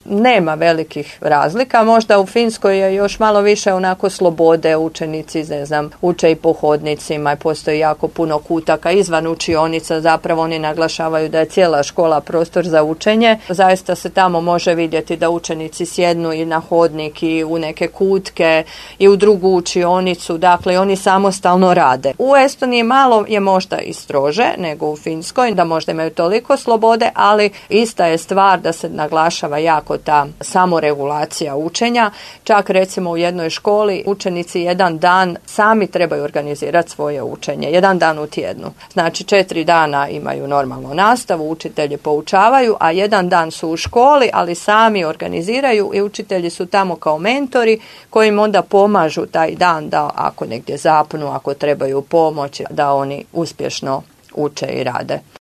nema velikih razlika. Možda u Finskoj je još malo više onako slobode, učenici, ne znam, uče i po hodnicima, postoji jako puno kutaka izvan učionica, zapravo oni naglašavaju da je cijela škola prostor za učenje. Zaista se tamo može vidjeti da učenici sjednu i na hodnik i u neke kutke i u drugu učionicu, dakle oni samostalno rade. U Estoniji malo je možda i strože nego u Finskoj, da možda imaju toliko slobode, ali ista je stvar da se naglašava jako ta samoregulacija učenja. Čak recimo u jednoj školi učenici jedan dan sami trebaju organizirati svoje učenje, jedan dan u tjednu. Znači 4 dana imaju normalnu nastavu, učitelji poučavaju, a jedan dan su u školi, ali sami organiziraju i učitelji su tamo kao mentori koji im onda pomažu taj dan da ako negdje zapnu, ako trebaju pomoć, da oni uspješno uče i rade.